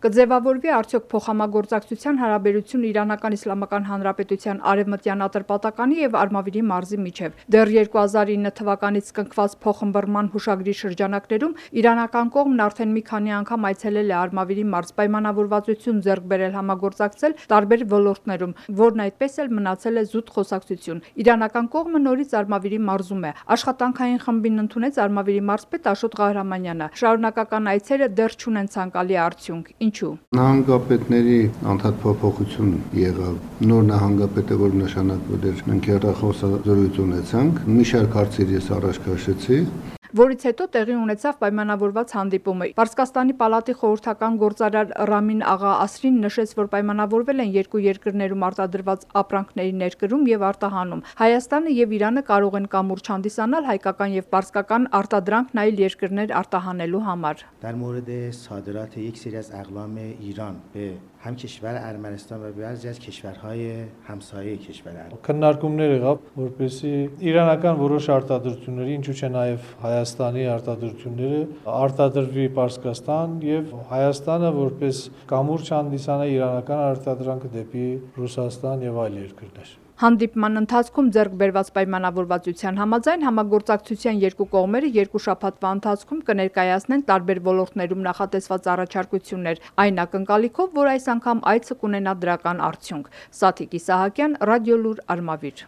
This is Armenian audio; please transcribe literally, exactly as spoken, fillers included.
Կձևավորվի արդյոք փոխհամագործակցության հարաբերություն Իրանական Իսլամական Հանրապետության Արևմտյան Ատրպատականի եւ Արմավիրի մարզի միջև։ Դեռ երկու հազար ինը թվականից կնքված փոխըմբռնման հուշագրի շրջանակներում իրանական կողմն արդեն մի քանի անգամ այցելել է Արմավիրի մարզ, պայմանավորվածություն ձեռք բերել համագործակցել տարբեր ոլորտներում, որն այդպես էլ մնացել է զուտ խոսակցություն։ Իրանական կողմը նորից Արմավիրի մարզում է։ Աշխատանքային խմբին ընդունեց Արմավիրի մարզպետ Աշոտ Ղահրամանյանը։ Շարունակական այցերը դեռ չունեն ցանկալի արդյունք։ Ինչու՞։ Նահանգապետների անդադ փոփոխություն եղավ։ Նոր նահանգապետը, որ նշանակվել էր, մենք հեռախոսազրույց ունեցանք։ Մի շարք հարցեր ես առաջ քաշեցի, որից հետո տեղի ունեցավ պայմանավորված հանդիպումը։ Պարսկաստանի պալատի խորհրդական գործարար Ռամին Աղա Ասրին նշեց, որ պայմանավորվել են երկու երկրներում արտադրված ապրանքների ներկրում եւ արտահանում։ Հայաստանը եւ Իրանը կարող են կամուրջ հանդիսանալ հայկական եւ պարսկական արտադրանքն այլ երկրներ արտահանելու համար։ در مورد صادرات یک سری از اقلام ایران به هم کشور ارمنستان و بعضی از کشورهای همسایه کشور ارمنستان քննարկումներ եղավ, որպեսզի իրանական որոշ արտադրությունների, ինչու՞ չէ նաև Հայաստանի արտադրությունները արտադրվի Պարսկաստան եւ Հայաստանը որպես կամուրջ հանդիսանա իրանական արտադրանքը դեպի Ռուսաստան եւ այլ երկրներ։ Հանդիպման ընթացքում ձեռք բերված պայմանավորվածության համաձայն համագործակցության երկու կողմերը երկու շաբաթվա ընթացքում կներկայացնեն տարբեր ոլորտներում նախատեսված առաջարկություններ, այն ակնկալիքով, որ այս անգամ այցը կունենա դրական արդյունք։ Սաթիկ Իսահակյան, Ռադիոլուր, Արմավիր։